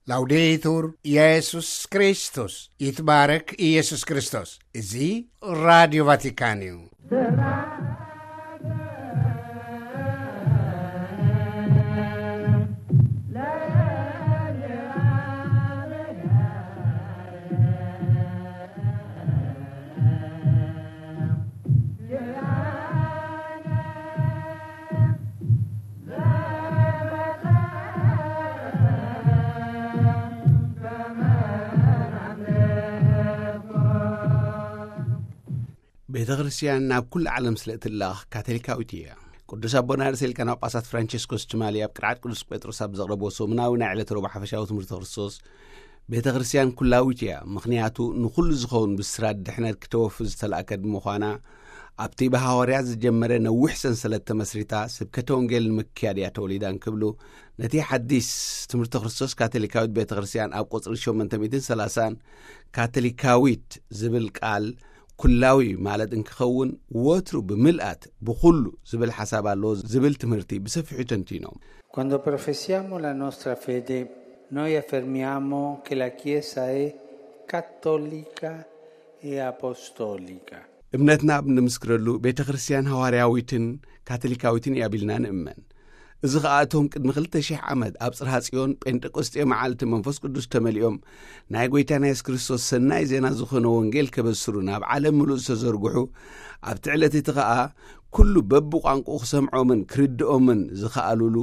ላውዴቱር ኢየሱስ ክርስቶስ፣ ይትባረክ ኢየሱስ ክርስቶስ። እዚ ራዲዮ ቫቲካን እዩ። ቤተ ክርስቲያን ናብ ኩሉ ዓለም ስለ እትላኽ ካቶሊካዊት እያ። ቅዱስ ኣቦና ርእሰ ሊቃነ ጳጳሳት ፍራንቸስኮስ ትማሊ ኣብ ቅርዓት ቅዱስ ጴጥሮስ ኣብ ዘቕረቦ ሰሙናዊ ናይ ዕለት ረቡዕ ሓፈሻዊ ትምህርቲ ክርስቶስ፣ ቤተ ክርስቲያን ኩላዊት እያ፣ ምኽንያቱ ንኹሉ ዝኸውን ብስራት ድሕነት ክተወፊ ዝተላእከት ብምዃና፣ ኣብቲ ብሃዋርያት ዝጀመረ ነዊሕ ሰንሰለት ተመስሪታ ስብከተ ወንጌል ንምክያድ እያ ተወሊዳ እንክብሉ፣ ነቲ ሓዲስ ትምህርቲ ክርስቶስ ካቶሊካዊት ቤተ ክርስቲያን ኣብ ቁጽሪ ሸሞንተ ሚእትን ሰላሳን ካቶሊካዊት ዝብል ቃል ኩላዊ ማለት እንክኸውን፣ ወትሩ ብምልኣት ብኹሉ ዝብል ሓሳብ ኣለዎ ዝብል ትምህርቲ ብሰፊሑ ተንቲኖም። Quando professiamo la nostra fede, noi affermiamo che la Chiesa è cattolica e apostolica. እምነትና ኣብ እንምስክረሉ ቤተ ክርስቲያን ሃዋርያዊትን ካቶሊካዊትን እያ ቢልና ንእመን። እዚ ኸኣ እቶም ቅድሚ ክልተ ሽሕ ዓመት ኣብ ጽርሃ ጽዮን ጴንጠቆስጤ መዓልቲ መንፈስ ቅዱስ ተመሊኦም ናይ ጐይታና የሱስ ክርስቶስ ሰናይ ዜና ዝኾነ ወንጌል ከበስሩ ናብ ዓለም ምሉእ ዝተዘርግሑ፣ ኣብቲ ዕለት እቲ ኸኣ ኩሉ በብቋንቋኡ ክሰምዖምን ክርድኦምን ዝኸኣሉሉ፣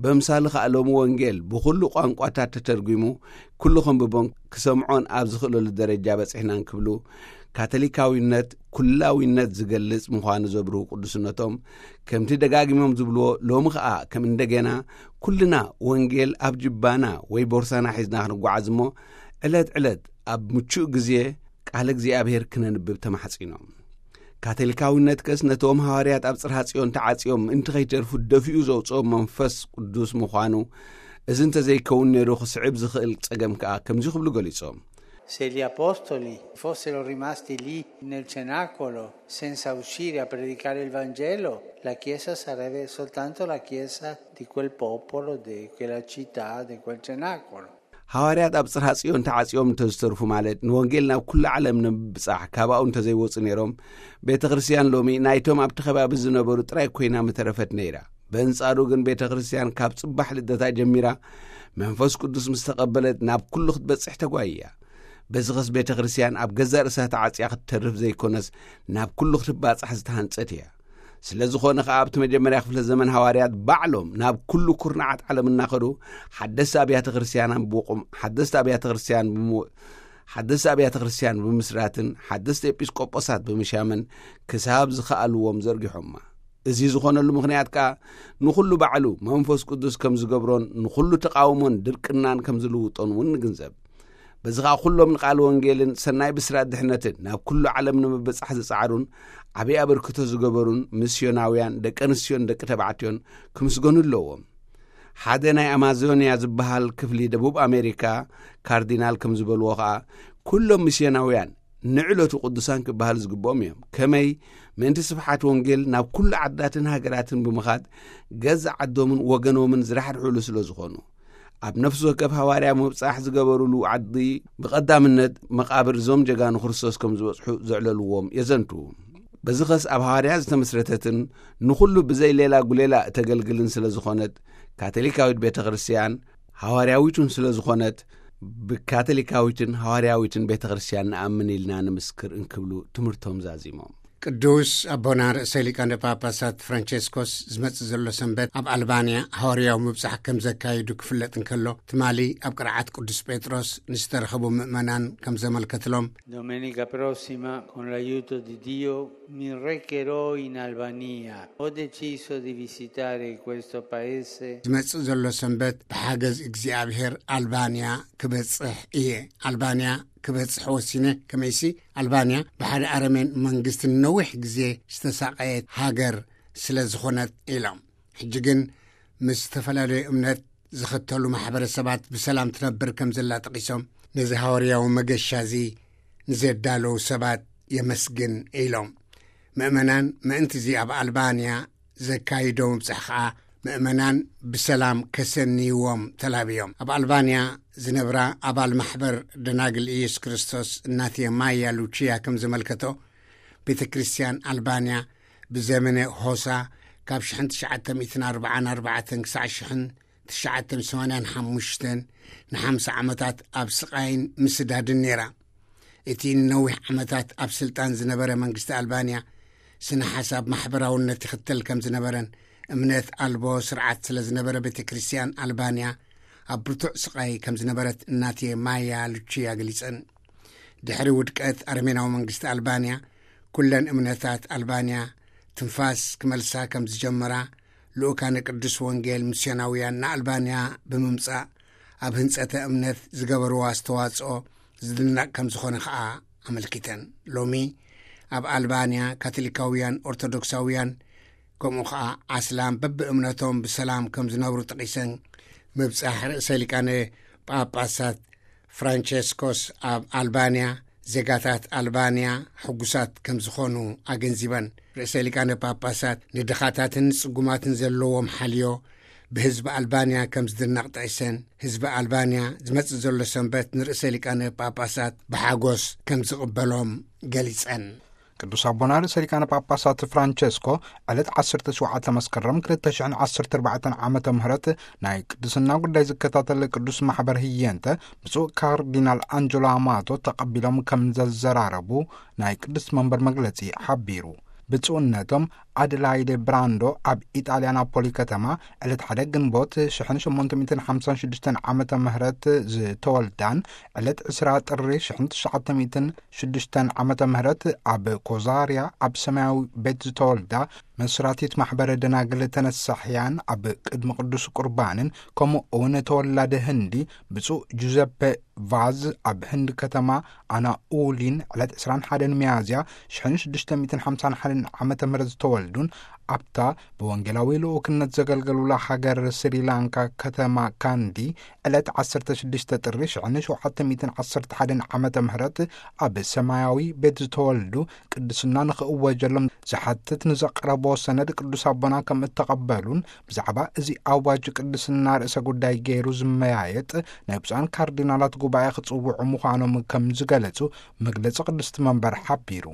በምሳሊ ኸኣ ሎሚ ወንጌል ብኹሉ ቋንቋታት ተተርጒሙ ኩሉ ከንብቦን ክሰምዖን ኣብ ዝኽእለሉ ደረጃ በጺሕና እንክብሉ፣ ካቶሊካዊነት ኩላዊነት ዝገልጽ ምዃኑ ዘብርሁ ቅዱስነቶም፣ ከምቲ ደጋጊሞም ዝብልዎ፣ ሎሚ ኸኣ ከም እንደገና ኩልና ወንጌል ኣብ ጅባና ወይ ቦርሳና ሒዝና ክንጓዓዝ እሞ፣ ዕለት ዕለት ኣብ ምቹእ ግዜ ቃለ እግዚኣብሔር ክነንብብ ተማሕጺኖም። ካቶሊካዊነት ከስ ነቶም ሃዋርያት ኣብ ጽርሃ ጽዮን ተዓጽዮም ምእንቲ ከይተርፉ ደፊኡ ዘውጽኦም መንፈስ ቅዱስ ምዃኑ፣ እዚ እንተዘይከውን ነይሩ ክስዕብ ዝኽእል ጸገም ከኣ ከምዚ ክብሉ ገሊጾም። Se gli apostoli fossero rimasti lì nel cenacolo senza uscire a predicare il Vangelo, la Chiesa sarebbe soltanto la Chiesa di quel popolo, di quella città, di quel cenacolo. ሃዋርያት ኣብ ጽርሃ ጽዮን ተዓጽዮም እንተዝተርፉ፣ ማለት ንወንጌል ናብ ኩሉ ዓለም ንምብጻሕ ካባኡ እንተዘይወጹ ነይሮም፣ ቤተ ክርስቲያን ሎሚ ናይቶም ኣብቲ ከባቢ ዝነበሩ ጥራይ ኮይና ምተረፈት ነይራ። በንጻሩ ግን ቤተ ክርስቲያን ካብ ጽባሕ ልደታ ጀሚራ መንፈስ ቅዱስ ምስ ተቐበለት ናብ ኩሉ ክትበጽሕ ተጓይያ። በዚ ኸስ ቤተ ክርስቲያን ኣብ ገዛእ ርእሳ ተዓጽያ ክትተርፍ ዘይኮነስ ናብ ኩሉ ክትባጻሕ ዝተሃንጸት እያ። ስለ ዝኾነ ኸኣ ኣብቲ መጀመርያ ክፍለ ዘመን ሃዋርያት ባዕሎም ናብ ኩሉ ኩርናዓት ዓለም እናኸዱ ሓደስቲ ኣብያተ ክርስቲያን ብምቑም፣ ሓደስቲ ኣብያተ ክርስቲያን ብምው-፣ ሓደስቲ ኣብያተ ክርስቲያን ብምስራትን ሓደስቲ ኤጲስቆጶሳት ብምሻምን ክሳብ ዝኸኣልዎም ዘርጊሖማ። እዚ ዝኾነሉ ምኽንያት ከኣ ንኹሉ ባዕሉ መንፈስ ቅዱስ ከም ዝገብሮን ንኹሉ ተቓውሞን ድርቅናን ከም ዝልውጦን እውን ንግንዘብ። በዚ ኸኣ ኩሎም ንቃል ወንጌልን ሰናይ ብስራት ድሕነትን ናብ ኩሉ ዓለም ንምብጻሕ ዝጸዓሩን ዓብዪ ኣበርክቶ ዝገበሩን ሚስዮናውያን ደቂ ኣንስትዮን ደቂ ተባዕትዮን ክምስገኑ ኣለዎም። ሓደ ናይ ኣማዞንያ ዝበሃል ክፍሊ ደቡብ ኣሜሪካ ካርዲናል ከም ዝበልዎ ኸኣ፣ ኩሎም ሚስዮናውያን ንዕለቱ ቅዱሳን ክበሃሉ ዝግብኦም እዮም። ከመይ? ምእንቲ ስብሓት ወንጌል ናብ ኩሉ ዓዳትን ሃገራትን ብምኻድ ገዛ ዓዶምን ወገኖምን ዝራሕርሕሉ ስለ ዝኾኑ፣ ኣብ ነፍሲ ወከፍ ሃዋርያ ምብጻሕ ዝገበሩሉ ዓዲ ብቐዳምነት መቓብር እዞም ጀጋኑ ክርስቶስ ከም ዝበጽሑ ዘዕለልዎም የዘንቱ። በዚ ኸስ ኣብ ሃዋርያ ዝተመስረተትን ንኹሉ ብዘይ ሌላ ጉሌላ እተገልግልን ስለ ዝኾነት፣ ካቶሊካዊት ቤተ ክርስቲያን ሃዋርያዊቱን ስለ ዝኾነት፣ ብካቶሊካዊትን ሃዋርያዊትን ቤተ ክርስቲያን ንኣምን ኢልና ንምስክር እንክብሉ ትምህርቶም ዛዚሞም። ቅዱስ ኣቦና ርእሰ ሊቃነ ጳጳሳት ፍራንቸስኮስ ዝመጽእ ዘሎ ሰንበት ኣብ ኣልባንያ ሃዋርያዊ ምብጻሕ ከም ዘካይዱ ክፍለጥ እንከሎ፣ ትማሊ ኣብ ቅርዓት ቅዱስ ጴጥሮስ ንዝተረኸቡ ምእመናን ከም ዘመልከትሎም፣ Domenica prossima, con l'aiuto di Dio, mi recherò in Albania. Ho deciso di visitare questo paese. ዝመጽእ ዘሎ ሰንበት ብሓገዝ እግዚኣብሔር ኣልባንያ ክበጽሕ እየ። ኣልባንያ ክበጽሕ ወሲነ። ከመይሲ ኣልባንያ ብሓደ ኣረሜን መንግስቲ ንነዊሕ ግዜ ዝተሳቐየት ሃገር ስለ ዝኾነት ኢሎም። ሕጂ ግን ምስ ዝተፈላለዩ እምነት ዝኽተሉ ማሕበረሰባት ብሰላም ትነብር ከም ዘላ ጠቒሶም፣ ነዚ ሃዋርያዊ መገሻ እዚ ንዘዳለዉ ሰባት የመስግን ኢሎም። ምእመናን ምእንቲ እዚ ኣብ ኣልባንያ ዘካይዶ ምብጻሕ ኸኣ ምእመናን ብሰላም ከሰንይዎም ተላብዮም። ኣብ ኣልባንያ ዝነብራ ኣባል ማሕበር ደናግል ኢየሱስ ክርስቶስ እናትየ ማያ ሉቺያ ከም ዘመልከቶ፣ ቤተ ክርስቲያን ኣልባንያ ብዘመነ ሆሳ ካብ ሽሕን ትሽዓተ ሚእትን ኣርባዓን ኣርባዕተን ክሳዕ ሽሕን ትሽዓተ ሚእትን ሰማንያን ሓሙሽተን ንሓምሳ ዓመታት ኣብ ስቓይን ምስዳድን ነይራ። እቲ ንነዊሕ ዓመታት ኣብ ስልጣን ዝነበረ መንግስቲ ኣልባንያ ስነ ሓሳብ ማሕበራውነት ይኽተል ከም ዝነበረን እምነት ኣልቦ ስርዓት ስለ ዝነበረ ቤተ ክርስቲያን ኣልባንያ ኣብ ብርቱዕ ስቓይ ከም ዝነበረት እናትየ ማያ ሉቺያ ገሊጸን። ድሕሪ ውድቀት ኣረሜናዊ መንግስቲ ኣልባንያ ኩለን እምነታት ኣልባንያ ትንፋስ ክመልሳ ከም ዝጀመራ ልኡካነ ቅዱስ ወንጌል ሚስዮናውያን ንኣልባንያ ብምምጻእ ኣብ ህንጸተ እምነት ዝገበርዎ ኣስተዋጽኦ ዝድነቕ ከም ዝኾነ ኸኣ ኣመልኪተን። ሎሚ ኣብ ኣልባንያ ካቶሊካውያን፣ ኦርቶዶክሳውያን ከምኡ ኸኣ ኣስላም በብእምነቶም ብሰላም ከም ዝነብሩ ጠቒሰን፣ ምብጻሕ ርእሰ ሊቃነ ጳጳሳት ፍራንቸስኮስ ኣብ ኣልባንያ ዜጋታት ኣልባንያ ሕጉሳት ከም ዝኾኑ ኣገንዚበን። ርእሰ ሊቃነ ጳጳሳት ንድኻታትን ጽጉማትን ዘለዎም ሓልዮ ብህዝቢ ኣልባንያ ከም ዝድነቕ ጠቒሰን፣ ህዝቢ ኣልባንያ ዝመጽእ ዘሎ ሰንበት ንርእሰ ሊቃነ ጳጳሳት ብሓጎስ ከም ዝቕበሎም ገሊጸን። ቅዱስ ኣቦና ርእሰ ሊቃነ ጳጳሳት ፍራንቸስኮ ዕለት ዓሰርተ ሸውዓተ መስከረም ክልተ ሽሕን ዓሰርተ ኣርባዕተን ዓመተ ምህረት ናይ ቅድስና ጉዳይ ዝከታተል ቅዱስ ማሕበር ህየንተ ብፁዕ ካርዲናል ኣንጀሎ ኣማቶ ተቐቢሎም ከም ዘዘራረቡ ናይ ቅድስት መንበር መግለጺ ሓቢሩ። ብፁዕነቶም ኣደላይደ ብራንዶ ኣብ ኢጣልያ ናፖሊ ከተማ ዕለት ሓደ ግንቦት ሽሕን ሸሞንተ ሚእትን ሓምሳን ሽዱሽተን ዓመተ ምህረት ዝተወልዳን ዕለት ዕስራ ጥሪ ሽሕን ትሽዓተ ሚእትን ሽዱሽተን ዓመተ ምህረት ኣብ ኮዛርያ ኣብ ሰማያዊ ቤት ዝተወልዳ መስራቲት ማሕበረ ደናግል ተነሳሕያን ኣብ ቅድሚ ቅዱስ ቁርባንን ከምኡ እውን ተወላዲ ህንዲ ብፁዕ ጁዘፔ ቫዝ ኣብ ህንዲ ከተማ ኣናኡሊን ዕለት ዕስራን ሓደን ሚያዝያ ሽሕን ሽዱሽተ ሚእትን ሓምሳን ሓደን ዓመተ ምህረት ዝተወልዱን ኣብታ ብወንጌላዊ ልኡክነት ዘገልገሉላ ሃገር ስሪላንካ ከተማ ካንዲ ዕለት ዓሰርተ ሽዱሽተ ጥሪ ሽሕን ሸውዓተ ሚእትን ዓሰርተ ሓደን ዓመተ ምህረት ኣብ ሰማያዊ ቤት ዝተወልዱ ቅድስና ንኽእወጀሎም ዝሓትት ንዘቕረቦ ሰነድ ቅዱስ ኣቦና ከም እተቐበሉን ብዛዕባ እዚ ኣዋጅ ቅድስና ርእሰ ጉዳይ ገይሩ ዝመያየጥ ናይ ብፁዓን ካርዲናላት ጉባኤ ክጽውዑ ምዃኖም ከም ዝገለጹ መግለጺ ቅድስቲ መንበር ሓቢሩ።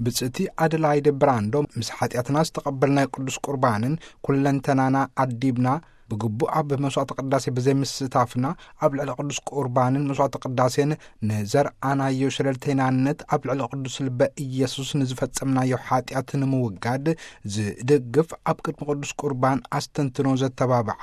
ብጽእቲ ኣደላይደ ብራንዶ ምስ ሓጢኣትና ዝተቐበልናዮ ቅዱስ ቁርባንን ኩለንተናና ኣዲብና ብግቡእ ኣብ መስዋዕቲ ቅዳሴ ብዘይምስታፍና ኣብ ልዕሊ ቅዱስ ቁርባንን መስዋዕቲ ቅዳሴን ንዘርኣናዮ ሸለልተይናነት ኣብ ልዕሊ ቅዱስ ልበ ኢየሱስ ንዝፈጸምናዮ ሓጢኣት ንምውጋድ ዝድግፍ ኣብ ቅድሚ ቅዱስ ቁርባን ኣስተንትኖ ዘተባብዓ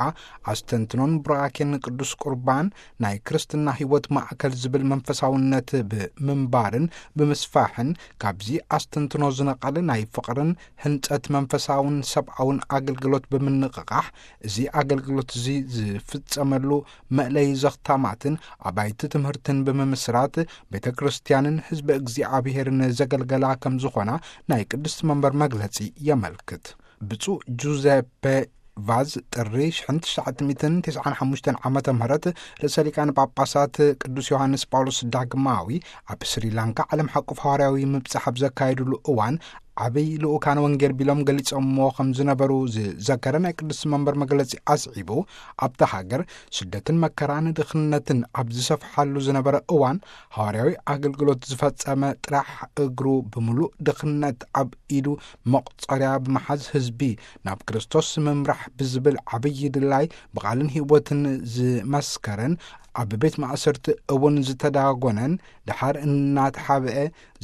ኣስተንትኖን ቡራኬን ቅዱስ ቁርባን ናይ ክርስትና ሕይወት ማእከል ዝብል መንፈሳውነት ብምንባርን ብምስፋሕን ካብዚ ኣስተንትኖ ዝነቐለ ናይ ፍቕርን ህንጸት መንፈሳውን ሰብኣውን ኣገልግሎት ብምንቕቓሕ እዚ ኣገልግሎት እዚ ዝፍጸመሉ መእለይ ዘኽታማትን ኣባይቲ ትምህርትን ብምምስራት ቤተ ክርስቲያንን ህዝቢ እግዚኣብሔርን ዘገልገላ ከም ዝኾና ናይ ቅድስት መንበር መግለጺ የመልክት። ብፁዕ ጁዘፔ ቫዝ ጥሪ ሽሕን ትሽዓተ ሚእትን ተስዓን ሓሙሽተን ዓመተ ምህረት ርእሰ ሊቃነ ጳጳሳት ቅዱስ ዮሃንስ ጳውሎስ ዳግማዊ ኣብ ስሪላንካ ዓለም ሓቁፍ ሃዋርያዊ ምብጻሕ ኣብ ዘካየዱሉ እዋን ዓብይ ልኡካን ወንጌል ቢሎም ገሊጾምዎ ከም ዝነበሩ ዝዘከረ ናይ ቅዱስ መንበር መግለጺ ኣስዒቡ ኣብታ ሃገር ስደትን መከራን ድኽነትን ኣብ ዝሰፍሓሉ ዝነበረ እዋን ሃዋርያዊ ኣገልግሎት ዝፈጸመ ጥራሕ እግሩ ብምሉእ ድኽነት ኣብ ኢዱ መቑጸርያ ብምሓዝ ህዝቢ ናብ ክርስቶስ ምምራሕ ብዝብል ዓብዪ ድላይ ብቓልን ህይወትን ዝመስከረን ኣብ ቤት ማእሰርቲ እውን ዝተዳጎነን ድሓር እናተሓብአ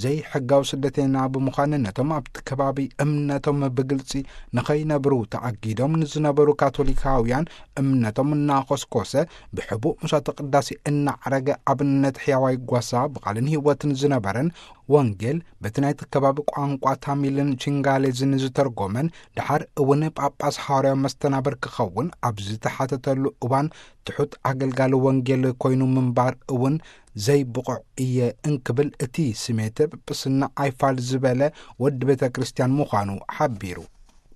ዘይሕጋዊ ስደተና ብምዃን ነቶም ኣብቲ ከባቢ እምነቶም ብግልጺ ንኸይነብሩ ተኣጊዶም ንዝነበሩ ካቶሊካውያን እምነቶም እናኾስኮሰ ብሕቡእ መስዋዕተ ቅዳሴ እናዕረገ ኣብነት ሕያዋይ ጓሳ ብቓልን ህይወትን ዝነበረን ወንጌል በቲ ናይቲ ከባቢ ቋንቋ ታሚልን ቺንጋሌዝን ዝተርጎመን ድሓር እውን ጳጳስ ሃዋርያዊ መስተናብር ክኸውን ኣብ ዝተሓተተሉ እዋን ትሑት ኣገልጋሊ ወንጌል ኮይኑ ምንባር እውን ዘይብቑዕ እየ እንክብል እቲ ስሜተ ጵጵስና ኣይፋል ዝበለ ወዲ ቤተ ክርስቲያን ምዃኑ ሓቢሩ።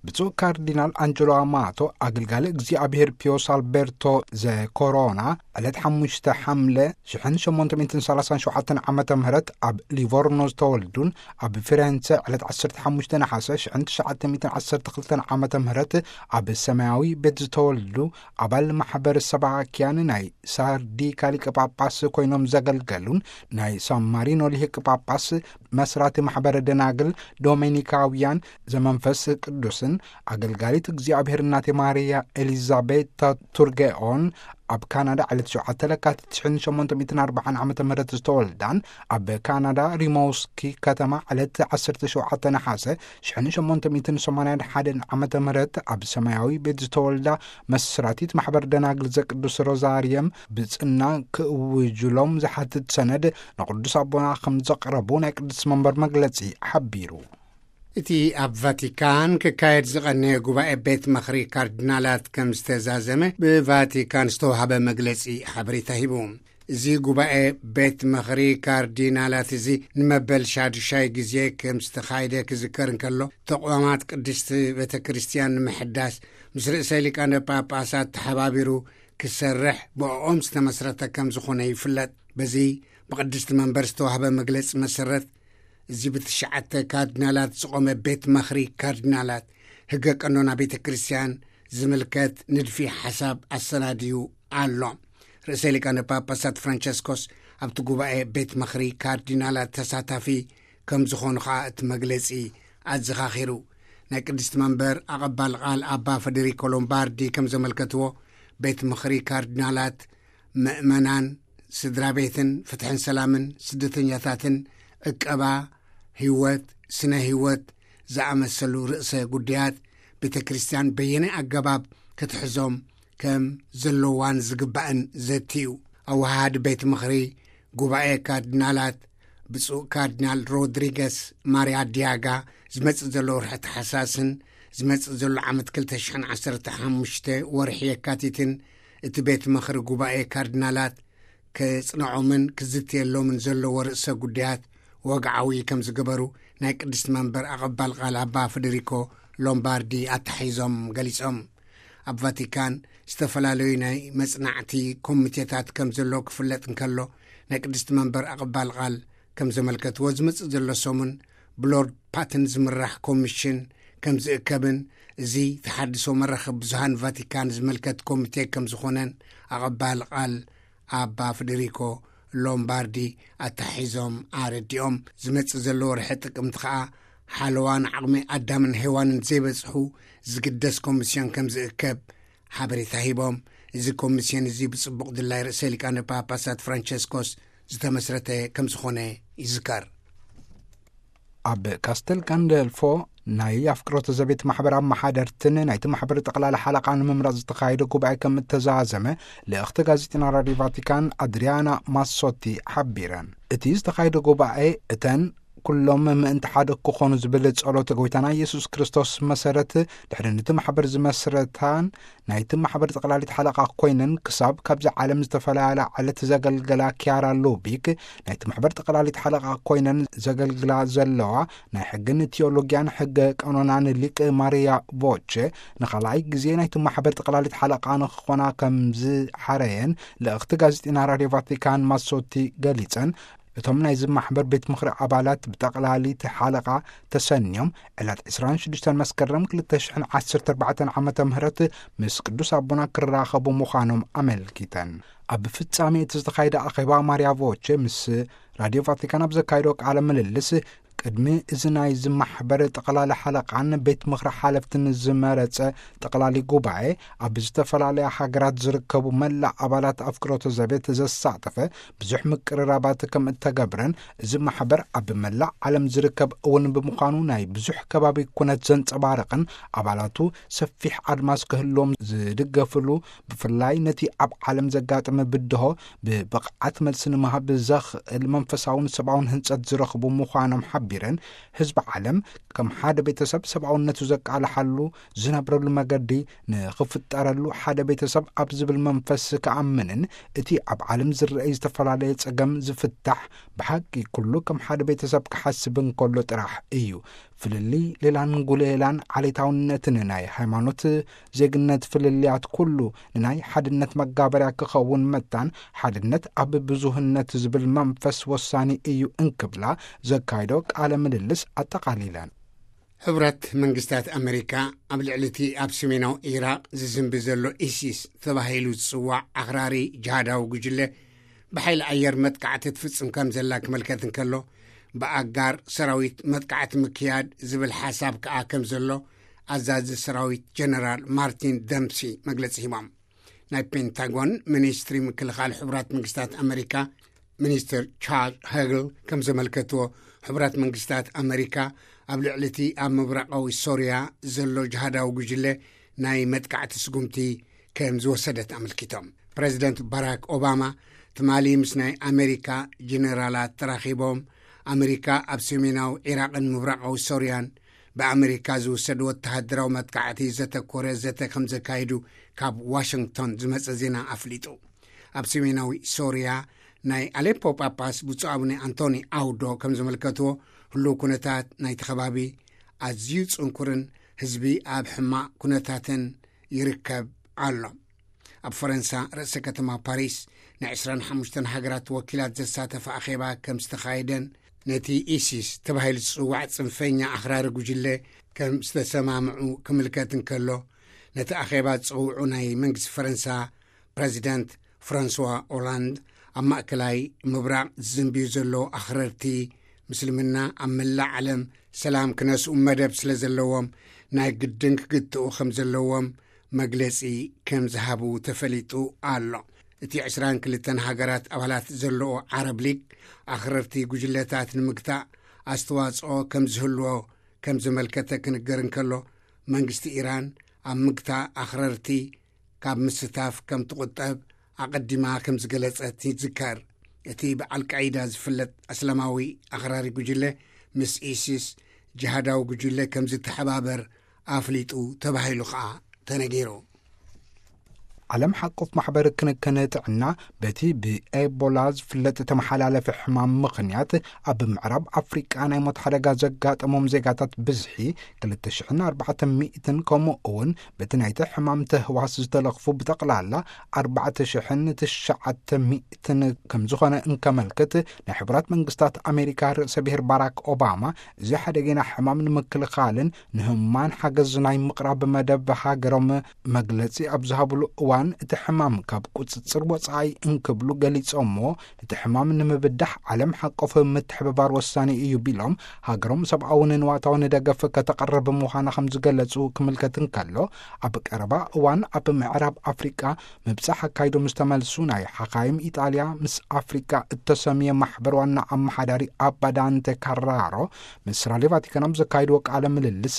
ብፁዕ ካርዲናል ኣንጀሎ ኣማቶ፣ ኣገልጋሊ እግዚኣብሔር ፒዮስ ኣልቤርቶ ዘኮሮና፣ ዕለት ሓሙሽተ ሓምለ ሽሕን ሸሞንተ ሚእትን ሰላሳን ሸውዓተን ዓመተ ምህረት ኣብ ሊቮርኖ ዝተወልዱን፣ ኣብ ፊሬንጸ ዕለት ዓሰርተ ሓሙሽተ ነሓሰ ሽሕን ትሽዓተ ሚእትን ዓሰርተ ክልተን ዓመተ ምህረት ኣብ ሰማያዊ ቤት ዝተወልዱ፣ ኣባል ማሕበር ሰባክያን ናይ ሳርዲካ ሊቀ ጳጳስ ኮይኖም ዘገልገሉን፣ ናይ ሳን ማሪኖ ሊቀ ጳጳስ መስራቲ ማሕበረ ደናግል ዶሜኒካውያን ዘመንፈስ ቅዱስን፣ ኣገልጋሊት እግዚኣብሔር እናቴ ማርያ ኤሊዛቤታ ቱርጌኦን፣ ኣብ ካናዳ ዕለት ሸውዓተ ለካቲት ሽሕን ሸሞንተ ሚእትን ኣርባዓን ዓመተ ምህረት ዝተወልዳን፣ ኣብ ካናዳ ሪሞውስኪ ከተማ ዕለት ዓሰርተ ሸውዓተ ነሓሰ ሽሕን ሸሞንተ ሚእትን ሰማንያን ሓደን ዓመተ ምህረት ኣብ ሰማያዊ ቤት ዝተወልዳ መስራቲት ማሕበር ደናግል ዘቅዱስ ሮዛርየም ብጽና ክእውጅሎም ዝሓትት ሰነድ ንቅዱስ ኣቦና ከም ዘቅረቡ ናይ ቅዱስ መንበር መግለጺ ሓቢሩ። እቲ ኣብ ቫቲካን ክካየድ ዝቐነየ ጉባኤ ቤት ምኽሪ ካርዲናላት ከም ዝተዛዘመ ብቫቲካን ዝተዋህበ መግለጺ ሓበሬታ ሂቡ። እዚ ጉባኤ ቤት ምኽሪ ካርዲናላት እዚ ንመበል ሻዱሻይ ግዜ ከም ዝተኻየደ ክዝከር እንከሎ፣ ተቋማት ቅድስቲ ቤተ ክርስቲያን ንምሕዳስ ምስ ርእሰ ሊቃነ ጳጳሳት ተሓባቢሩ ክሰርሕ ብኦም ዝተመስረተ ከም ዝኾነ ይፍለጥ። በዚ ብቅድስቲ መንበር ዝተዋህበ መግለጺ መሰረት፣ እዚ ብትሽዓተ ካርዲናላት ዝቖመ ቤት ምኽሪ ካርዲናላት ሕገ ቀኖና ቤተ ክርስቲያን ዝምልከት ንድፊ ሓሳብ ኣሰናድዩ ኣሎ። ርእሰ ሊቃነ ጳጳሳት ፍራንቸስኮስ ኣብቲ ጉባኤ ቤት ምኽሪ ካርዲናላት ተሳታፊ ከም ዝኾኑ ኸኣ እቲ መግለጺ ኣዘኻኺሩ። ናይ ቅድስቲ መንበር ኣቐባል ቃል ኣባ ፈደሪኮ ሎምባርዲ ከም ዘመልከትዎ፣ ቤት ምኽሪ ካርዲናላት ምእመናን፣ ስድራ ቤትን ፍትሕን ሰላምን፣ ስደተኛታትን፣ ዕቀባ፣ ህይወት፣ ስነ ህይወት ዝኣመሰሉ ርእሰ ጉዳያት ቤተ ክርስቲያን በየናይ ኣገባብ ክትሕዞም ከም ዘለዋን ዝግባእን ዘትዩ። ኣወሃሃዲ ቤት ምኽሪ ጉባኤ ካርዲናላት ብፁዕ ካርዲናል ሮድሪገስ ማርያ ዲያጋ፣ ዝመጽእ ዘሎ ወርሒ ተሓሳስን ዝመጽእ ዘሎ ዓመት ክልተ ሽሕን ዓሰርተ ሓሙሽተ ወርሒ የካቲትን እቲ ቤት ምኽሪ ጉባኤ ካርዲናላት ከጽንዖምን ክዝትየሎምን ዘለዎ ርእሰ ጉዳያት ወግዓዊ ከም ዝገበሩ ናይ ቅድስቲ መንበር ኣቐባል ቃል ኣባ ፈደሪኮ ሎምባርዲ ኣተሓሒዞም ገሊጾም። ኣብ ቫቲካን ዝተፈላለዩ ናይ መጽናዕቲ ኮሚቴታት ከም ዘሎ ክፍለጥ እንከሎ፣ ናይ ቅድስቲ መንበር ኣቐባል ቃል ከም ዘመልከትዎ፣ ዝመጽእ ዘሎ ሰሙን ብሎርድ ፓትን ዝምራሕ ኮሚሽን ከም ዝእከብን፣ እዚ ተሓድሶ መራኸቢ ብዙሃን ቫቲካን ዝምልከት ኮሚቴ ከም ዝኾነን ኣቐባል ቃል ኣባ ፍደሪኮ ሎምባርዲ ኣተሓሒዞም ኣረዲኦም። ዝመጽእ ዘሎ ወርሒ ጥቅምቲ ኸኣ ሓለዋን ዓቕሚ ኣዳምን ሄዋንን ዘይበጽሑ ዝግደስ ኮሚስዮን ከም ዝእከብ ሓበሬታ ሂቦም። እዚ ኮሚስዮን እዚ ብጽቡቕ ድላይ ርእሰ ሊቃነ ጳጳሳት ፍራንቸስኮስ ዝተመስረተ ከም ዝኾነ ይዝከር። ኣብ ካስተል ጋንደልፎ ናይ ኣፍቅሮተ ዘቤት ማሕበር ኣመሓደርትን ናይቲ ማሕበር ጠቕላላ ሓለቓ ንምምራጽ ዝተኻየደ ጉባኤ ከም እተዛዘመ ልእኽቲ ጋዜጠና ራድዮ ቫቲካን ኣድሪያና ማሶቲ ሓቢረን። እቲ ዝተኻየደ ጉባኤ እተን ኩሎም ምእንቲ ሓደ ክኾኑ ዝብል ጸሎት ጎይታና ኢየሱስ ክርስቶስ መሰረት ድሕሪ ነቲ ማሕበር ዝመስረታን ናይቲ ማሕበር ጠቕላሊት ሓለቓ ኮይነን ክሳብ ካብዚ ዓለም ዝተፈላለያ ዕለት ዘገልገላ ኪያራ ሉቢክ፣ ናይቲ ማሕበር ጠቕላሊት ሓለቓ ኮይነን ዘገልግላ ዘለዋ ናይ ሕግን ቲዮሎጊያን ሕገ ቀኖናን ሊቅ ማርያ ቮቼ፣ ንኻልኣይ ግዜ ናይቲ ማሕበር ጠቕላሊት ሓለቓ ንክኾና ከም ዝሓረየን ልእኽቲ ጋዜጠና ራድዮ ቫቲካን ማሶቲ ገሊጸን። እቶም ናይዚ ማሕበር ቤት ምኽሪ ኣባላት ብጠቕላሊት ሓለቓ ተሰንዮም ዕለት ዕስራን ሽዱሽተን መስከረም ክልተ ሽሕን ዓሰርተ ኣርባዕተን ዓመተ ምህረት ምስ ቅዱስ ኣቦና ክራኸቡ ምዃኖም ኣመልኪተን። ኣብ ፍጻሜ እቲ ዝተኻየደ ኣኼባ ማርያ ቮቼ ምስ ራድዮ ቫቲካን ኣብ ዘካየዶ ቃለ ምልልስ፣ ቅድሚ እዚ ናይዚ ማሕበር ጠቕላሊ ሓለቓን ቤት ምኽሪ ሓለፍትን ዝመረጸ ጠቕላሊ ጉባኤ፣ ኣብ ዝተፈላለያ ሃገራት ዝርከቡ መላእ ኣባላት ኣፍቅሮተ ዘቤት ዘሳተፈ ብዙሕ ምቅርራባት ከም እተገብረን፣ እዚ ማሕበር ኣብ መላእ ዓለም ዝርከብ እውን ብምዃኑ ናይ ብዙሕ ከባቢ ኩነት ዘንጸባርቕን ኣባላቱ ሰፊሕ ኣድማስ ክህልዎም ዝድገፍሉ፣ ብፍላይ ነቲ ኣብ ዓለም ዘጋጠመ ብድሆ ብብቕዓት መልሲ ንምሃብ ዘኽእል መንፈሳውን ሰብኣውን ህንጸት ዝረኽቡ ምዃኖም ሓቢረን፣ ህዝቢ ዓለም ከም ሓደ ቤተሰብ ሰብኣውነቱ ዘቃልሓሉ ዝነብረሉ መገዲ ንኽፍጠረሉ ሓደ ቤተሰብ ኣብ ዝብል መንፈስ ክኣምንን እቲ ኣብ ዓለም ዝረኣይ ዝተፈላለየ ጸገም ዝፍታሕ ብሓቂ ኩሉ ከም ሓደ ቤተሰብ ክሓስብ እንከሎ ጥራሕ እዩ። ፍልልይ ሌላን ጉሌላን ዓሌታውነትን ናይ ሃይማኖት ዜግነት ፍልልያት ኩሉ ንናይ ሓድነት መጋበርያ ክኸውን መታን፣ ሓድነት ኣብ ብዙህነት ዝብል መንፈስ ወሳኒ እዩ እንክብላ ዘካይዶ ቃለ ምልልስ ኣጠቓሊለን። ሕቡራት መንግስታት ኣመሪካ ኣብ ልዕሊ እቲ ኣብ ሰሜናዊ ኢራቕ ዝዝንቢ ዘሎ ኢሲስ ተባሂሉ ዝጽዋዕ ኣኽራሪ ጅሃዳዊ ጉጅለ ብሓይሊ ኣየር መጥቃዕቲ ትፍጽም ከም ዘላ ክምልከት እንከሎ፣ ብኣጋር ሰራዊት መጥቃዕቲ ምክያድ ዝብል ሓሳብ ከኣ ከም ዘሎ ኣዛዚ ሰራዊት ጀነራል ማርቲን ደምሲ መግለጺ ሂቦም። ናይ ፔንታጎን ሚኒስትሪ ምክልኻል ሕቡራት መንግስታት ኣመሪካ ሚኒስትር ቻርልስ ሄግል ከም ዘመልከትዎ፣ ሕቡራት መንግስታት ኣመሪካ ኣብ ልዕሊ እቲ ኣብ ምብራቓዊ ሶርያ ዘሎ ጅሃዳዊ ጉጅለ ናይ መጥቃዕቲ ስጉምቲ ከም ዝወሰደት ኣመልኪቶም። ፕረዚደንት ባራክ ኦባማ ትማሊ ምስ ናይ ኣመሪካ ጀነራላት ተራኺቦም፣ ኣመሪካ ኣብ ሰሜናዊ ዒራቕን ምብራቓዊ ሶርያን ብኣመሪካ ዝውሰድ ወተሃደራዊ መጥቃዕቲ ዘተኮረ ዘተ ከም ዘካይዱ ካብ ዋሽንግቶን ዝመጸ ዜና ኣፍሊጡ። ኣብ ሰሜናዊ ሶርያ ናይ ኣሌፖ ጳጳስ ብፁዕ ኣቡነ ኣንቶኒ ኣውዶ ከም ዘመልከትዎ፣ ህሉው ኩነታት ናይቲ ከባቢ ኣዝዩ ጽንኩርን ህዝቢ ኣብ ሕማቕ ኩነታትን ይርከብ ኣሎ። ኣብ ፈረንሳ ርእሰ ከተማ ፓሪስ ናይ ዕስራን ሓሙሽተን ሃገራት ወኪላት ዘሳተፈ ኣኼባ ከም ዝተኻየደን ነቲ ኢሲስ ተባሂሉ ዝጽዋዕ ጽንፈኛ ኣኽራሪ ጉጅለ ከም ዝተሰማምዑ ክምልከት እንከሎ፣ ነቲ ኣኼባ ዝጸውዑ ናይ መንግስቲ ፈረንሳ ፕረዚደንት ፍራንስዋ ኦላንድ፣ ኣብ ማእከላይ ምብራቕ ዝዝንብዩ ዘለዉ ኣኽረርቲ ምስልምና ኣብ መላእ ዓለም ሰላም ክነስኡ መደብ ስለ ዘለዎም፣ ናይ ግድን ክግትኡ ከም ዘለዎም መግለጺ ከም ዝሃቡ ተፈሊጡ ኣሎ። እቲ ዕስራን ክልተን ሃገራት ኣባላት ዘለዎ ዓረብ ሊግ፣ ኣኽረርቲ ጉጅለታት ንምግታእ ኣስተዋጽኦ ከም ዝህልዎ ከም ዘመልከተ ክንገር እንከሎ፣ መንግስቲ ኢራን ኣብ ምግታእ ኣኽረርቲ ካብ ምስታፍ ከም ትቑጠብ ኣቐዲማ ከም ዝገለጸት ይዝከር። እቲ ብኣልቃይዳ ዝፍለጥ ኣስላማዊ ኣኽራሪ ጉጅለ፣ ምስ ኢሲስ ጅሃዳዊ ጉጅለ ከም ዝተሓባበር ኣፍሊጡ ተባሂሉ ከኣ ተነጊሩ። ዓለም ሓቆፍ ማሕበር ክንክን ጥዕና፣ በቲ ብኤቦላ ዝፍለጥ ተመሓላለፊ ሕማም ምኽንያት ኣብ ምዕራብ ኣፍሪቃ ናይ ሞት ሓደጋ ዘጋጠሞም ዜጋታት ብዝሒ ክልተ ሽሕን ኣርባዕተ ሚእትን፣ ከምኡ እውን በቲ ናይቲ ሕማም ተህዋስ ዝተለኽፉ ብጠቕላላ ኣርባዕተ ሽሕን ትሽዓተ ሚእትን ከም ዝኾነ እንከመልክት፣ ናይ ሕቡራት መንግስታት ኣሜሪካ ርእሰ ብሔር ባራክ ኦባማ፣ እዚ ሓደገና ሕማም ንምክልኻልን ንህሙማን ሓገዝ ናይ ምቕራብ መደብ ሃገሮም መግለጺ ኣብ ዝሃብሉ እዋን፣ እቲ ሕማም ካብ ቁጽጽር ወጻኢ እንክብሉ ገሊጾሞ፣ እቲ ሕማም ንምብዳሕ ዓለም ሓቆፍ ምትሕብባር ወሳኒ እዩ ቢሎም፣ ሃገሮም ሰብኣውን ንዋታውን ደገፍ ከተቕርብ ምዃና ከም ዝገለጹ ክምልከት እንከሎ፣ ኣብ ቀረባ እዋን ኣብ ምዕራብ ኣፍሪቃ ምብጻሕ ኣካይዶም ዝተመልሱ ናይ ሓኻይም ኢጣልያ ምስ ኣፍሪቃ እተሰምየ ማሕበር ዋና ኣመሓዳሪ ኣባ ዳንተ ካራሮ፣ ምስ ራድዮ ቫቲካን ኣብ ዘካይድዎ ቃለ ምልልስ፣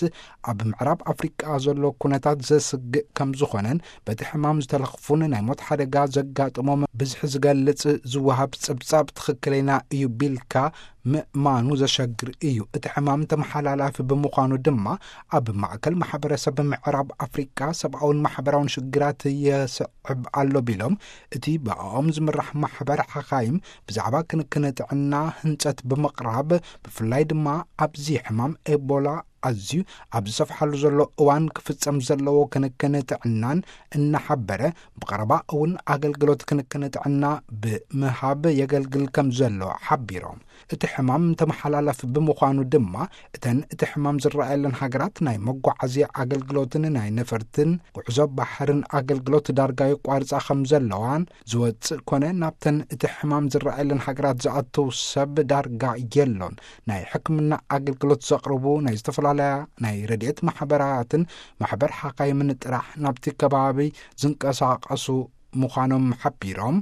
ኣብ ምዕራብ ኣፍሪቃ ዘሎ ኩነታት ዘስግእ ከም ዝኾነን በቲ ሕማም ዝተለኽፉን ናይ ሞት ሓደጋ ዘጋጥሞም ብዝሒ ዝገልጽ ዝወሃብ ጽብጻብ ትኽክለና እዩ ቢልካ ምእማኑ ዘሸግር እዩ። እቲ ሕማም ተመሓላላፊ ብምዃኑ ድማ ኣብ ማእከል ማሕበረሰብ ምዕራብ ኣፍሪቃ ሰብኣውን ማሕበራውን ሽግራት የስዕብ ኣሎ ቢሎም፣ እቲ ብኣኦም ዝምራሕ ማሕበር ሓኻይም ብዛዕባ ክንክን ጥዕና ህንጸት ብምቕራብ፣ ብፍላይ ድማ ኣብዚ ሕማም ኤቦላ ኣዝዩ ኣብ ዝሰፍሓሉ ዘሎ እዋን ክፍጸም ዘለዎ ክንክን ጥዕናን እናሓበረ፣ ብቐረባ እውን ኣገልግሎት ክንክን ጥዕና ብምሃብ የገልግል ከም ዘሎ ሓቢሮም። እቲ ሕማም ተመሓላላፊ ብምዃኑ ድማ፣ እተን እቲ ሕማም ዝረኣየለን ሃገራት ናይ መጓዓዝያ ኣገልግሎትን ናይ ነፈርትን ጉዕዞ ባሕርን ኣገልግሎት ዳርጋ የቋርጻ ከም ዘለዋን፣ ዝወጽእ ኮነ ናብተን እቲ ሕማም ዝረኣየለን ሃገራት ዝኣተው ሰብ ዳርጋ የሎን። ናይ ሕክምና ኣገልግሎት ዘቕርቡ ናይ ዝተፈላለያ ናይ ረድኤት ማሕበራትን ማሕበር ሓካይምን ጥራሕ ናብቲ ከባቢ ዝንቀሳቐሱ ምዃኖም ሓቢሮም፣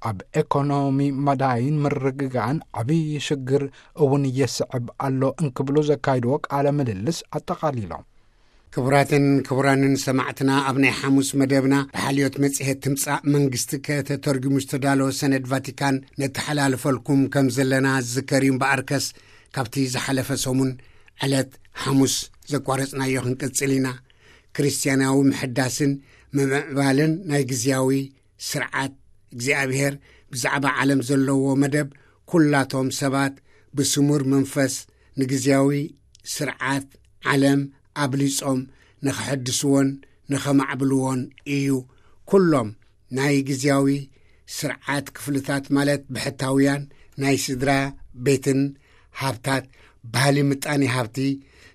ኣብ ኤኮኖሚ መዳይን ምርግጋእን ዓብዪ ሽግር እውን የስዕብ ኣሎ እንክብሉ ዘካይድዎ ቃለ ምልልስ ኣጠቓሊሎም። ክቡራትን ክቡራንን ሰማዕትና፣ ኣብ ናይ ሓሙስ መደብና ብሓልዮት መጽሔት ትምጻእ መንግስቲ ከተተርጉሙ ዝተዳለወ ሰነድ ቫቲካን ነተሓላልፈልኩም ከም ዘለና ዝዝከር እዩ። እምበኣርከስ፣ ካብቲ ዝሓለፈ ሰሙን ዕለት ሓሙስ ዘቋረጽናዮ ክንቅጽል ኢና። ክርስትያናዊ ምሕዳስን ምምዕባልን ናይ ግዝያዊ ስርዓት እግዚኣብሔር ብዛዕባ ዓለም ዘለዎ መደብ፣ ኩላቶም ሰባት ብስሙር መንፈስ ንግዝያዊ ስርዓት ዓለም ኣብሊጾም ንኸሐድስዎን ንኸማዕብልዎን እዩ። ኩሎም ናይ ግዜያዊ ስርዓት ክፍልታት፣ ማለት ብሕታውያን ናይ ስድራ ቤትን ሃብታት፣ ባህሊ፣ ምጣኔ ሃብቲ፣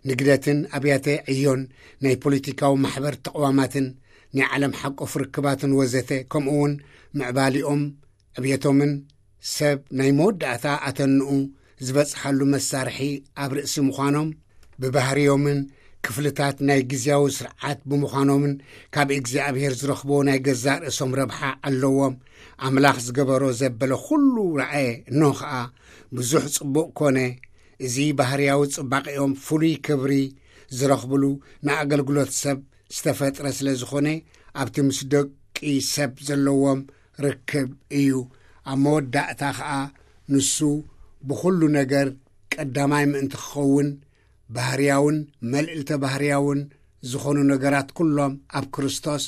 ንግደትን ኣብያተ ዕዮን፣ ናይ ፖለቲካዊ ማሕበር ተቕዋማትን፣ ናይ ዓለም ሓቆፍ ርክባትን ወዘተ፣ ከምኡ እውን ምዕባሊኦም፣ ዕብየቶምን ሰብ ናይ መወዳእታ ኣተንኡ ዝበጽሓሉ መሳርሒ ኣብ ርእሲ ምዃኖም፣ ብባህርዮምን ክፍልታት ናይ ግዜያዊ ስርዓት ብምዃኖምን፣ ካብ እግዚኣብሔር ዝረኽቦ ናይ ገዛእ ርእሶም ረብሓ ኣለዎም። ኣምላኽ ዝገበሮ ዘበለ ኩሉ ረኣየ፣ እነሆ ኸኣ ብዙሕ ጽቡቕ ኮነ። እዚ ባህርያዊ ጽባቐኦም ፍሉይ ክብሪ ዝረኽብሉ፣ ንኣገልግሎት ሰብ ዝተፈጥረ ስለ ዝኾነ፣ ኣብቲ ምስ ደቂ ሰብ ዘለዎም ርክብ እዩ። ኣብ መወዳእታ ኸኣ ንሱ ብኹሉ ነገር ቀዳማይ ምእንቲ ክኸውን፣ ባህርያውን መልእልተ ባህርያውን ዝኾኑ ነገራት ኩሎም ኣብ ክርስቶስ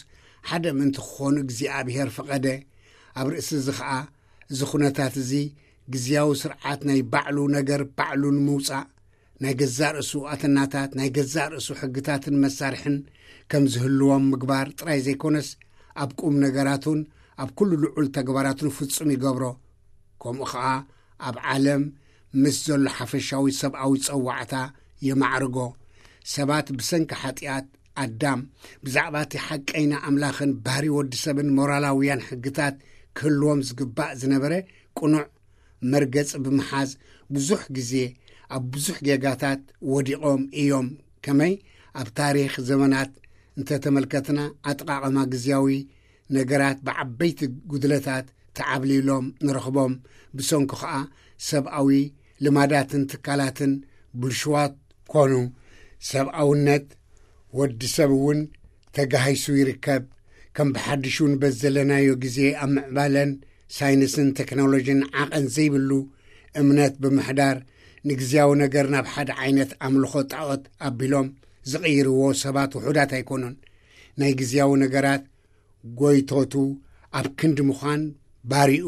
ሓደ ምእንቲ ክኾኑ እግዚኣብሔር ፈቐደ። ኣብ ርእሲ እዚ ኸኣ፣ እዚ ኹነታት እዚ ግዝያዊ ስርዓት ናይ ባዕሉ ነገር ባዕሉ ንምውጻእ፣ ናይ ገዛእ ርእሱ ኣተናታት፣ ናይ ገዛእ ርእሱ ሕግታትን መሳርሕን ከም ዝህልዎም ምግባር ጥራይ ዘይኮነስ፣ ኣብ ቁም ነገራቱን ኣብ ኩሉ ልዑል ተግባራቱን ፍጹም ይገብሮ። ከምኡ ኸኣ ኣብ ዓለም ምስ ዘሎ ሓፈሻዊ ሰብኣዊ ጸዋዕታ የማዕርጎ። ሰባት ብሰንኪ ሓጢኣት ኣዳም፣ ብዛዕባ እቲ ሓቀይና ኣምላኽን ባህሪ ወዲ ሰብን ሞራላውያን ሕግታት ክህልዎም ዝግባእ ዝነበረ ቅኑዕ መርገጽ ብምሓዝ፣ ብዙሕ ግዜ ኣብ ብዙሕ ጌጋታት ወዲቖም እዮም። ከመይ? ኣብ ታሪኽ ዘመናት እንተተመልከትና፣ ኣጠቓቕማ ግዝያዊ ነገራት ብዓበይቲ ጉድለታት ተዓብሊሎም ንረኽቦም። ብሰንኩ ኸኣ ሰብኣዊ ልማዳትን ትካላትን ብልሽዋት ኮኑ። ሰብኣውነት ወዲ ሰብ እውን ተጋሂሱ ይርከብ። ከም ብሓድሹ ንበዘለናዮ ግዜ ኣብ ምዕባለን ሳይንስን ቴክኖሎጂን ዓቐን ዘይብሉ እምነት ብምሕዳር፣ ንግዝያዊ ነገር ናብ ሓደ ዓይነት ኣምልኾ ጣዖት ኣቢሎም ዝቕይርዎ ሰባት ውሑዳት ኣይኮኑን። ናይ ግዝያዊ ነገራት ጎይቶቱ ኣብ ክንዲ ምዃን ባሪኡ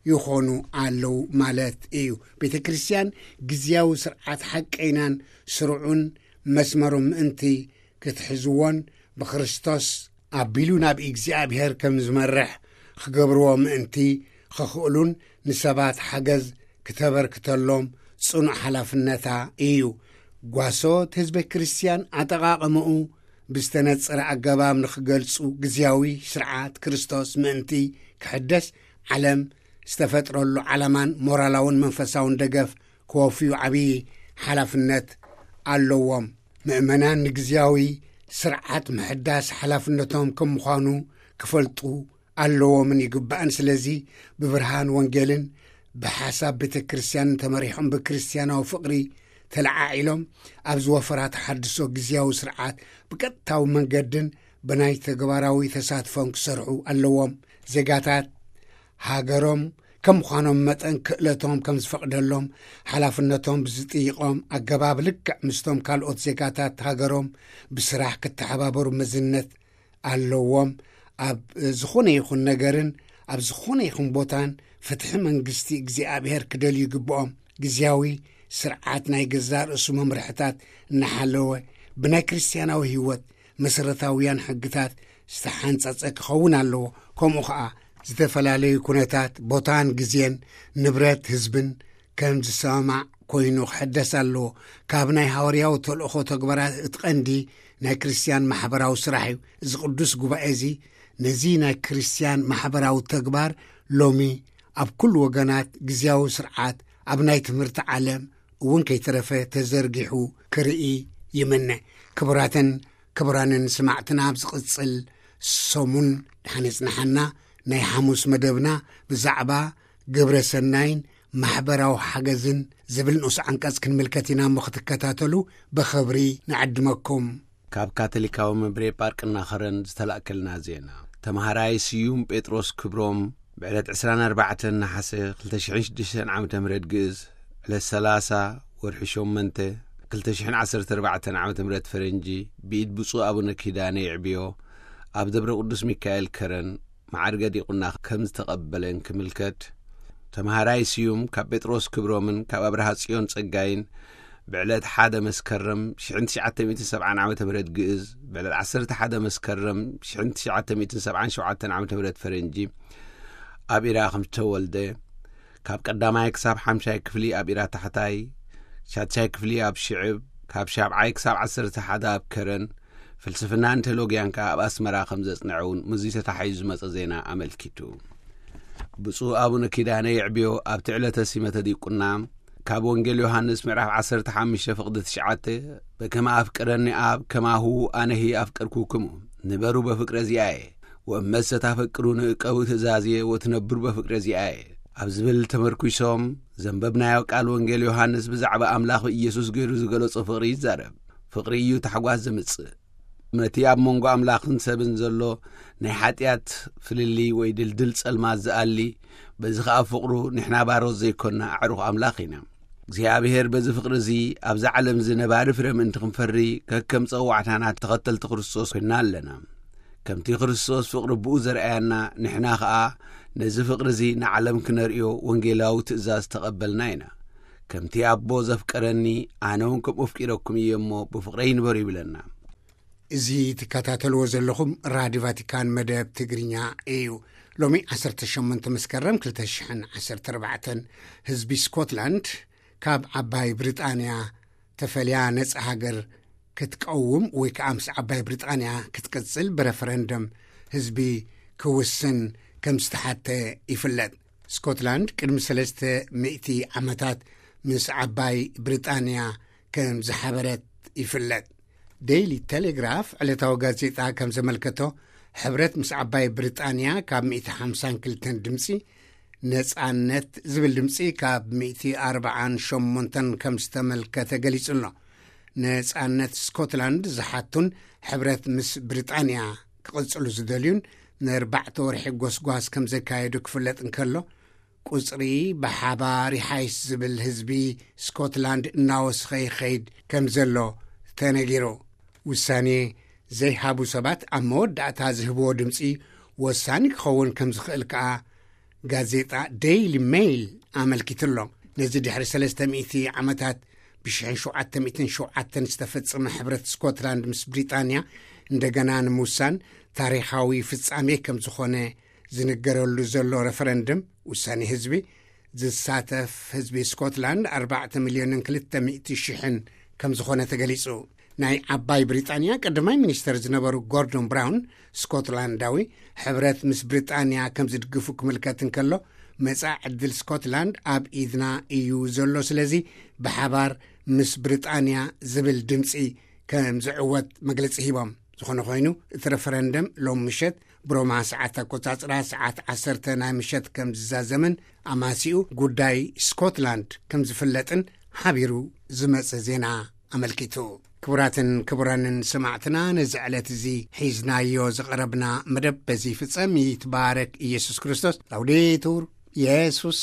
ይኾኑ ኣለዉ ማለት እዩ። ቤተ ክርስቲያን ግዝያዊ ስርዓት ሓቀይናን ስሩዑን መስመሩ ምእንቲ ክትሕዝዎን፣ ብክርስቶስ ኣቢሉ ናብ እግዚኣብሔር ከም ዝመርሕ ክገብርዎ ምእንቲ ክኽእሉን፣ ንሰባት ሓገዝ ክተበርክተሎም ጽኑዕ ሓላፍነታ እዩ። ጓሶት ህዝበ ክርስቲያን ኣጠቓቕምኡ ብዝተነጸረ ኣገባብ ንኽገልጹ፣ ግዝያዊ ስርዓት ክርስቶስ ምእንቲ ክሕደስ፣ ዓለም ዝተፈጥረሉ ዓላማን ሞራላውን መንፈሳውን ደገፍ ክወፍዩ ዓብዪ ሓላፍነት ኣለዎም። ምእመናን ንግዝያዊ ስርዓት ምሕዳስ ሓላፍነቶም ከም ምዃኑ ክፈልጡ ኣለዎምን ይግባእን። ስለዚ ብብርሃን ወንጌልን ብሓሳብ ቤተ ክርስቲያንን ተመሪሖም፣ ብክርስቲያናዊ ፍቕሪ ተለዓዒሎም፣ ኣብ ዝወፈራ ተሓድሶ ግዝያዊ ስርዓት ብቀጥታዊ መንገድን ብናይ ተግባራዊ ተሳትፎን ክሰርሑ ኣለዎም። ዜጋታት ሃገሮም ከም ምዃኖም መጠን፣ ክእለቶም ከም ዝፈቕደሎም፣ ሓላፍነቶም ብዝጥይቖም ኣገባብ፣ ልክዕ ምስቶም ካልኦት ዜጋታት ሃገሮም ብስራሕ ክተሓባበሩ መዝነት ኣለዎም። ኣብ ዝኾነ ይኹን ነገርን ኣብ ዝኾነ ይኹን ቦታን፣ ፍትሒ መንግስቲ እግዚኣብሔር ክደልዩ ይግብኦም። ግዝያዊ ስርዓት ናይ ገዛእ ርእሱ መምርሕታት እናሓለወ፣ ብናይ ክርስትያናዊ ህይወት መሰረታውያን ሕግታት ዝተሓንጸጸ ክኸውን ኣለዎ። ከምኡ ኸኣ፣ ዝተፈላለዩ ኩነታት፣ ቦታን ግዜን፣ ንብረት ህዝብን ከም ዝሰማማዕ ኮይኑ ክሕደስ ኣለዎ። ካብ ናይ ሃዋርያዊ ተልእኾ ተግባራት እቲ ቀንዲ ናይ ክርስትያን ማሕበራዊ ስራሕ እዩ። እዚ ቅዱስ ጉባኤ እዚ ነዚ ናይ ክርስትያን ማሕበራዊ ተግባር ሎሚ ኣብ ኩሉ ወገናት ግዝያዊ ስርዓት ኣብ ናይ ትምህርቲ ዓለም እውን ከይተረፈ ተዘርጊሑ ክርኢ ይምነ። ክቡራትን ክቡራንን ስማዕትና፣ ኣብ ዝቕጽል ሰሙን ድሓን የጽንሓና ናይ ሓሙስ መደብና ብዛዕባ ግብረ ሰናይን ማሕበራዊ ሓገዝን ዝብል ንኡስ ዓንቀጽ ክንምልከት ኢና እሞ፣ ክትከታተሉ ብኽብሪ ንዕድመኩም። ካብ ካቶሊካዊ መምሬ ጳርቅና ኸረን ዝተላእከልና ዜና። ተምሃራይ ስዩም ጴጥሮስ ክብሮም ብዕለት ዕስራን ኣርባዕተን ነሓሰ ክልተ ሽሕን ሽዱሽተን ዓመተ ምህረት ግእዝ፣ ዕለት ሰላሳ ወርሒ ሸሞንተ ክልተ ሽሕን ዓሰርተ ኣርባዕተን ዓመተ ምህረት ፈረንጂ፣ ብኢድ ብፁዕ ኣቡነ ኪዳነ ይዕብዮ ኣብ ደብረ ቅዱስ ሚካኤል ከረን መዓርገ ዲቁና ከም ዝተቐበለን ክምልከት፣ ተምሃራይ ስዩም ካብ ጴጥሮስ ክብሮምን ካብ ኣብርሃ ጽዮን ጸጋይን ብዕለት ሓደ መስከረም ሽሕን ትሽዓተ ሚእትን ሰብዓን ዓመተ ምህረት ግእዝ፣ ብዕለት ዓሰርተ ሓደ መስከረም ሽሕን ትሽዓተ ሚእትን ሰብዓን ሸውዓተን ዓመተ ምህረት ፈረንጂ ኣብ ኢራ ከም ዝተወልደ፣ ካብ ቀዳማይ ክሳብ ሓምሻይ ክፍሊ ኣብ ኢራ ታሕታይ፣ ሻድሻይ ክፍሊ ኣብ ሽዕብ፣ ካብ ሻብዓይ ክሳብ ዓሰርተ ሓደ ኣብ ከረን፣ ፍልስፍናን ቴዎሎጊያን ከኣ ኣብ ኣስመራ ከም ዘጽንዐ እውን ምስዚ ተታሒዙ ዝመጸ ዜና ኣመልኪቱ። ብፁዕ ኣቡነ ኪዳነ የዕብዮ ኣብቲ ዕለተ ሲመተ ዲቁና ካብ ወንጌል ዮሃንስ ምዕራፍ ዓሰርተ ሓሙሽተ ፍቕዲ ትሽዓተ፣ በከመ ኣፍቀረኒ ኣብ ከማሁ ኣነሂ ኣፍቀርኩክሙ፣ ንበሩ በፍቅረ ዚኣየ፣ ወእመሰ ታፈቅሩኒ እቀቡ ትእዛዝየ ወትነብሩ በፍቅረ ዚኣየ ኣብ ዝብል ተመርኲሶም ዘንበብናዮ ቃል ወንጌል ዮሃንስ ብዛዕባ ኣምላኽ ብኢየሱስ ገይሩ ዝገለጾ ፍቕሪ ይዛረብ። ፍቕሪ እዩ ታሕጓስ ዘምጽእ። ነቲ ኣብ መንጎ ኣምላኽን ሰብን ዘሎ ናይ ሓጢኣት ፍልልይ ወይ ድልድል ጸልማት ዝኣሊ፣ በዚ ኸኣ ፍቕሩ ንሕና ባሮት ዘይኮንና ኣዕሩኽ ኣምላኽ ኢና። እግዚኣብሔር በዚ ፍቕሪ እዚ ኣብዛ ዓለም እዚ ነባሪ ፍረ ምእንቲ ክንፈሪ ከከም ጸዋዕታና ተኸተልቲ ክርስቶስ ኮይንና ኣለና። ከምቲ ክርስቶስ ፍቕሪ ብኡ ዘርኣያና ንሕና ኸኣ ነዚ ፍቕሪ እዚ ንዓለም ክነርእዮ ወንጌላዊ ትእዛዝ ተቐበልና ኢና። ከምቲ ኣቦ ዘፍቀረኒ ኣነ እውን ከምኡ ኣፍቂረኩም እየ እሞ ብፍቕረይ ንበሩ ይብለና። እዚ ትከታተልዎ ዘለኹም ራድዮ ቫቲካን መደብ ትግርኛ እዩ። ሎሚ ዓሰርተ ሸሞንተ መስከረም ክልተ ሽሕን ዓሰርተ ኣርባዕተን ህዝቢ ስኮትላንድ ካብ ዓባይ ብሪጣንያ ተፈልያ ነጻ ሃገር ክትቀውም ወይ ከዓ ምስ ዓባይ ብሪጣንያ ክትቅጽል ብረፈረንደም ህዝቢ ክውስን ከም ዝተሓተ ይፍለጥ። ስኮትላንድ ቅድሚ ሰለስተ ሚእቲ ዓመታት ምስ ዓባይ ብሪጣንያ ከም ዝሓበረት ይፍለጥ። ዴይሊ ቴሌግራፍ ዕለታዊ ጋዜጣ ከም ዘመልከቶ፣ ሕብረት ምስ ዓባይ ብሪጣንያ ካብ ሚእቲ ሓምሳን ክልተን ድምፂ፣ ነፃነት ዝብል ድምፂ ካብ ሚእቲ ኣርባዓን ሸሞንተን ከም ዝተመልከተ ገሊጹ ኣሎ። ነፃነት ስኮትላንድ ዝሓቱን ሕብረት ምስ ብሪጣንያ ክቕጽሉ ዝደልዩን ንኣርባዕተ ወርሒ ጎስጓስ ከም ዘካየዱ ክፍለጥ እንከሎ፣ ቁጽሪ ብሓባር ይሓይሽ ዝብል ህዝቢ ስኮትላንድ እናወስኸ ይኸይድ ከም ዘሎ ተነጊሩ። ውሳኔ ዘይሃቡ ሰባት ኣብ መወዳእታ ዝህብዎ ድምጺ ወሳኒ ክኸውን ከም ዝኽእል ከኣ ጋዜጣ ዴይሊ ሜይል ኣመልኪቱ ኣሎ። ነዚ ድሕሪ ሰለስተ ሚእቲ ዓመታት ብሽሕን ሸውዓተ ሚእትን ሸውዓተን ዝተፈጸመ ሕብረት ስኮትላንድ ምስ ብሪጣንያ እንደገና ንምውሳን ታሪኻዊ ፍጻሜ ከም ዝኾነ ዝንገረሉ ዘሎ ረፈረንድም ውሳኔ ህዝቢ ዝሳተፍ ህዝቢ ስኮትላንድ ኣርባዕተ ሚልዮንን ክልተ ሚእቲ ሽሕን ከም ዝኾነ ተገሊጹ። ናይ ዓባይ ብሪጣንያ ቀዳማይ ሚኒስተር ዝነበሩ ጎርዶን ብራውን ስኮትላንዳዊ ሕብረት ምስ ብሪጣንያ ከም ዝድግፉ ክምልከት እንከሎ፣ መጻኢ ዕድል ስኮትላንድ ኣብ ኢድና እዩ ዘሎ፣ ስለዚ ብሓባር ምስ ብሪጣንያ ዝብል ድምጺ ከም ዝዕወት መግለጺ ሂቦም። ዝኾነ ኮይኑ፣ እቲ ረፈረንደም ሎም ምሸት ብሮማ ሰዓት ኣቆጻጽራ ሰዓት ዓሰርተ ናይ ምሸት ከም ዝዛዘምን ኣማሲኡ ጉዳይ ስኮትላንድ ከም ዝፍለጥን ሓቢሩ ዝመጸ ዜና ኣመልኪቱ። ክቡራትን ክቡራንን ሰማዕትና፣ ነዚ ዕለት እዚ ሒዝናዮ ዝቐረብና መደብ በዚ ይፍጸም። ይትባረክ ኢየሱስ ክርስቶስ። ላውዴቱር ኢየሱስ